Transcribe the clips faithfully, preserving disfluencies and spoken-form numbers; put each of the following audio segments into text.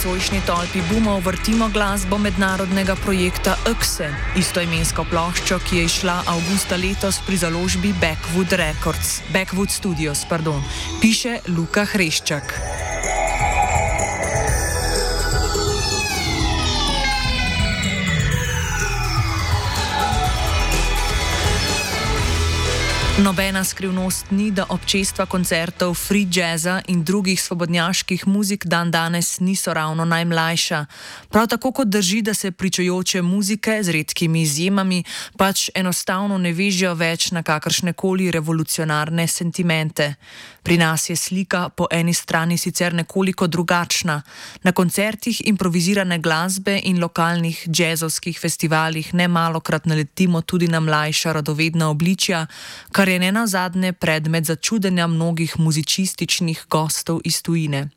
nocojšnji tolpi bumov vrtimo glasbo mednarodnega projekta Ekse, istoimensko ploščo, ki je izšla avgusta letos pri založbi Backwood Records, Backwood Studios, pardon, piše Luka Hreščak. Nobena skrivnost ni, da občestva koncertov free jazza in drugih svobodnjaških muzik dan danes niso ravno najmlajša. Prav tako kot drži, da se pričujoče muzike z redkimi izjemami pač enostavno ne vežejo več na kakršnekoli revolucionarne sentimente. Pri nas je slika po eni strani sicer nekoliko drugačna. Na koncertih improvizirane glasbe in lokalnih džezovskih festivalih nemalokrat naletimo tudi na mlajša radovedna obličja, kar je nenazadnje predmet začudenja mnogih muzičističnih gostov iz tujine.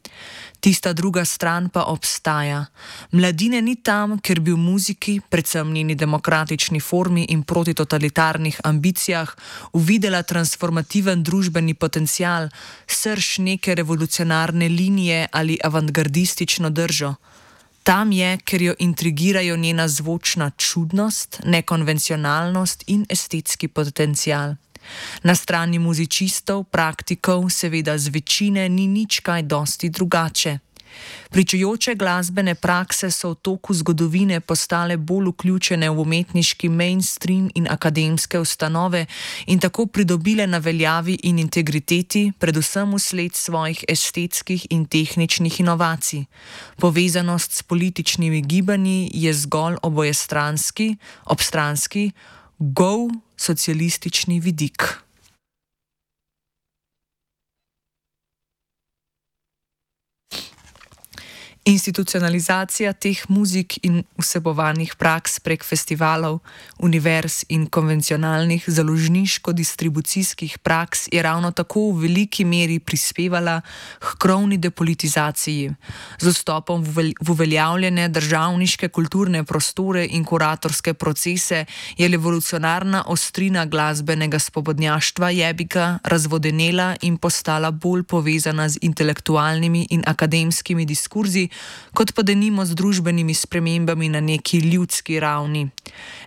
Tista druga stran pa obstaja. Mladine ni tam, ker bi v muziki, predvsem njeni demokratični formi in protitotalitarnih ambicijah, uvidela transformativen družbeni potencial, srž neke revolucionarne linije ali avantgardistično držo. Tam je, ker jo intrigirajo njena zvočna čudnost, nekonvencionalnost in estetski potencial. Na strani muzičistov, praktikov, seveda z večine, ni nič kaj dosti drugače. Pričujoče glasbene prakse so v toku zgodovine postale bolj vključene v umetniški mainstream in akademske ustanove in tako pridobile na veljavi in integriteti, predvsem vsled svojih estetskih in tehničnih inovacij. Povezanost s političnimi gibanji je zgolj obojestranski, obstranski, gol socialistični vidik. Institucionalizacija teh muzik in vsebovanih praks prek festivalov, univerz in konvencionalnih založniško-distribucijskih praks je ravno tako v veliki meri prispevala k krovni depolitizaciji. Z vstopom v uveljavljene državniške kulturne prostore in kuratorske procese je revolucionarna ostrina glasbenega svobodnjaštva jebika razvodenela in postala bolj povezana z intelektualnimi in akademskimi diskurzi, kot pa denimo z družbenimi spremembami na neki ljudski ravni.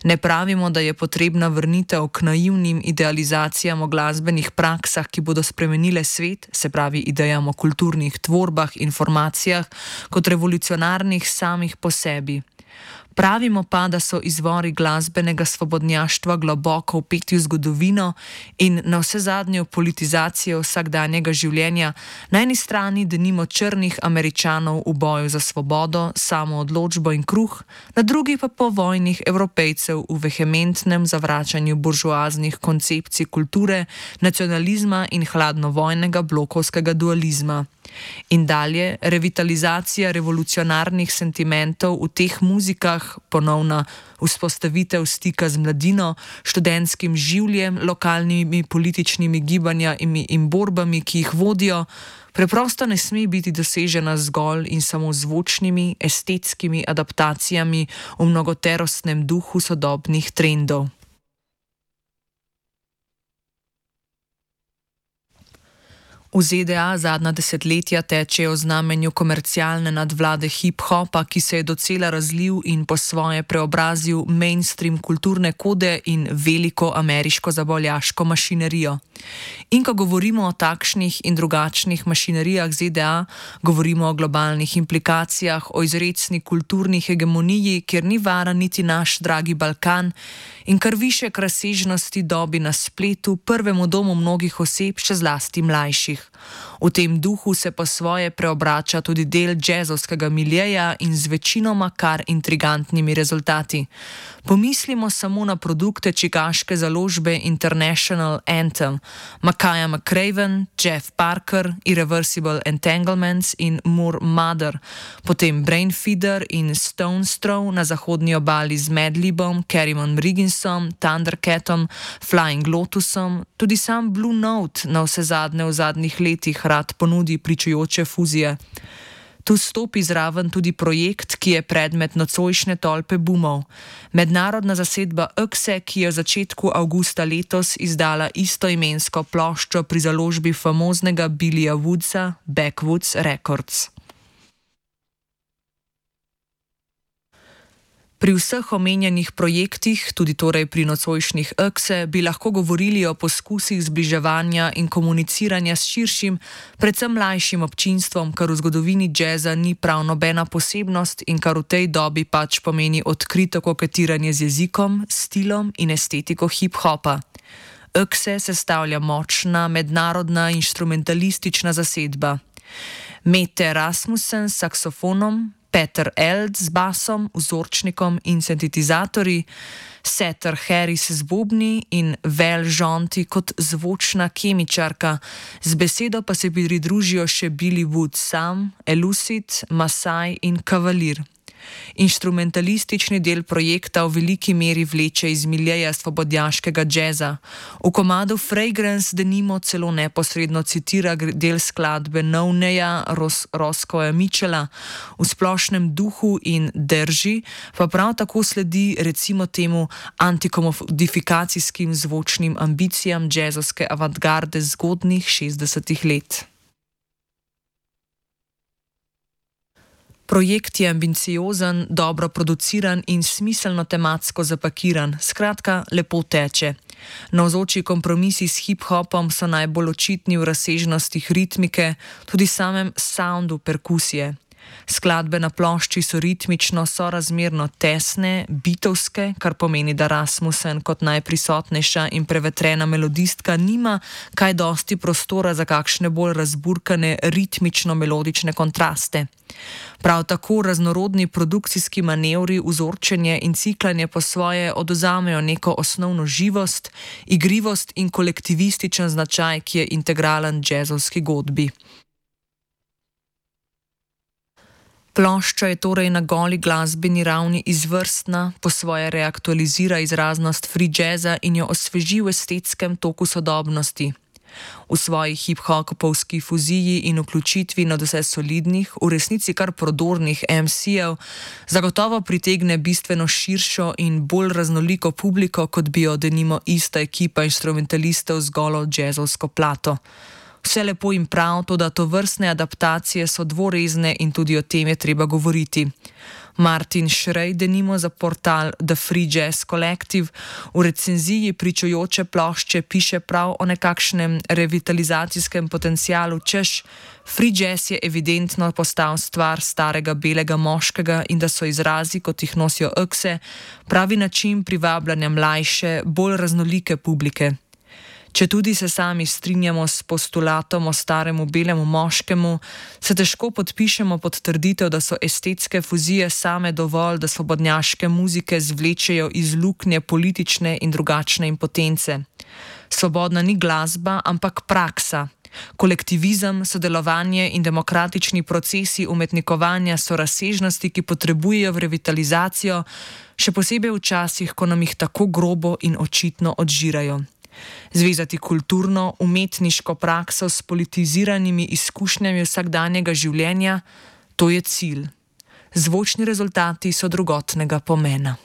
Ne pravimo, da je potrebna vrnitev k naivnim idealizacijam o glasbenih praksah, ki bodo spremenile svet, se pravi idejam o kulturnih tvorbah in formacijah, kot revolucionarnih samih po sebi. Pravimo pa, da so izvori glasbenega svobodnjaštva globoko vpeti v zgodovino in na vsezadnjo politizacijo vsakdanjega življenja, na eni strani denimo črnih Američanov v boju za svobodo, samoodločbo in kruh, na drugi pa povojnih Evropejcev v vehementnem zavračanju buržoaznih koncepcij kulture, nacionalizma in hladnovojnega blokovskega dualizma. In dalje, revitalizacija revolucionarnih sentimentov v teh muzikah, ponovna vzpostavitev stika z mladino, študentskim življem, lokalnimi političnimi gibanjami in borbami, ki jih vodijo, preprosto ne sme biti dosežena zgolj in samo zvočnimi, estetskimi adaptacijami v mnogoterostnem duhu sodobnih trendov. V Z D A zadnja desetletja tečejo v znamenju komercialne nadvlade hip-hopa, ki se je docela razlil in po svoje preobrazil mainstream kulturne kode in veliko ameriško zabavljaško mašinerijo. In ko govorimo o takšnih in drugačnih mašinerijah Z D A, govorimo o globalnih implikacijah, o izrecni kulturni hegemoniji, kjer ni vara niti naš dragi Balkan, in kar višek razsežnosti dobi na spletu, prvemu domu mnogih oseb, še zlasti mlajših. V tem duhu se po svoje preobrača tudi del džezovskega miljeja in z večinoma kar intrigantnimi rezultati. Pomislimo samo na produkte čikaške založbe International Anthem, Makaya McCraven, Jeff Parker, Irreversible Entanglements in Moor Mother, potem Brainfeeder in Stone's Throw na zahodnji obali z Madlibom, Kerrymon Rigginsom, Thundercatom, Flying Lotusom, tudi sam Blue Note na vse zadnje v zadnjih letih rad ponudi pričujoče fuzije. Tu stopi zraven tudi projekt, ki je predmet nocojšnje tolpe bumov. Mednarodna zasedba Ekse, ki je v začetku avgusta letos izdala istoimensko ploščo pri založbi famoznega Billija Woodsa, Backwoods Records. Pri vseh omenjenih projektih, tudi torej pri nocojšnjih Ekse, bi lahko govorili o poskusih zbliževanja in komuniciranja s širšim, predvsem mlajšim občinstvom, kar v zgodovini džeza ni prav nobena posebnost in kar v tej dobi pač pomeni odkrito koketiranje z jezikom, stilom in estetiko hip-hopa. Ekse sestavlja močna mednarodna instrumentalistična zasedba. Mette Rasmussen s saksofonom, Peter Eld z basom, vzorčnikom in sintetizatorji, Setter Harris z bobni in Vel Žonti kot zvočna kemičarka, z besedo pa se pridružijo še Billy Wood sam, Elucid, Masai in Kavalir. Instrumentalistični del projekta v veliki meri vleče iz miljeja svobodnjaškega džeza. V komadu Fragrance denimo celo neposredno citira del skladbe Novneja Ros Roscoe'a Mitchella, v splošnem duhu in drži pa prav tako sledi recimo temu antikomodifikacijskim zvočnim ambicijam džezovske avantgarde zgodnjih šestdesetih let. Projekt je ambiciozen, dobro produciran in smiselno tematsko zapakiran, skratka, lepo teče. Navzoči kompromisi s hip-hopom so najbolj očitni v razsežnostih ritmike, tudi samem soundu perkusije. Skladbe na plošči so ritmično sorazmerno tesne, bitovske, kar pomeni, da Rasmussen kot najprisotnejša in prevetrena melodistka nima kaj dosti prostora za kakšne bolj razburkane ritmično-melodične kontraste. Prav tako raznorodni produkcijski manevri, vzorčenje in ciklanje po svoje odvzamejo neko osnovno živost, igrivost in kolektivističen značaj, ki je integralen džezovski godbi. Plošča je torej na goli glasbeni ravni izvrstna, po svoje reaktualizira izraznost free jazza in jo osveži v estetskem toku sodobnosti. V svoji hip-hopovski fuziji in vključitvi nadvse solidnih, v resnici kar prodornih em si-jev, zagotovo pritegne bistveno širšo in bolj raznoliko publiko, kot bi jo denimo ista ekipa instrumentalistov z golo džezovsko plato. Vse lepo in prav, toda tovrstne adaptacije so dvorezne in tudi o tem je treba govoriti. Martin Šrej denimo za portal The Free Jazz Collective v recenziji pričujoče plošče piše prav o nekakšnem revitalizacijskem potencialu, češ, free jazz je evidentno postal stvar starega belega moškega in da so izrazi, kot jih nosijo Ekse, pravi način privabljanja mlajše, bolj raznolike publike. Če tudi se sami strinjamo s postulatom o staremu belemu moškemu, se težko podpišemo pod trditev, da so estetske fuzije same dovolj, da svobodnjaške muzike zvlečejo iz luknje politične in drugačne impotence. Svobodna ni glasba, ampak praksa. Kolektivizem, sodelovanje in demokratični procesi umetnikovanja so razsežnosti, ki potrebujejo v revitalizacijo, še posebej v časih, ko nam jih tako grobo in očitno odžirajo. Zvezati kulturno, umetniško prakso s politiziranimi izkušnjami vsakdanjega življenja, to je cilj. Zvočni rezultati so drugotnega pomena.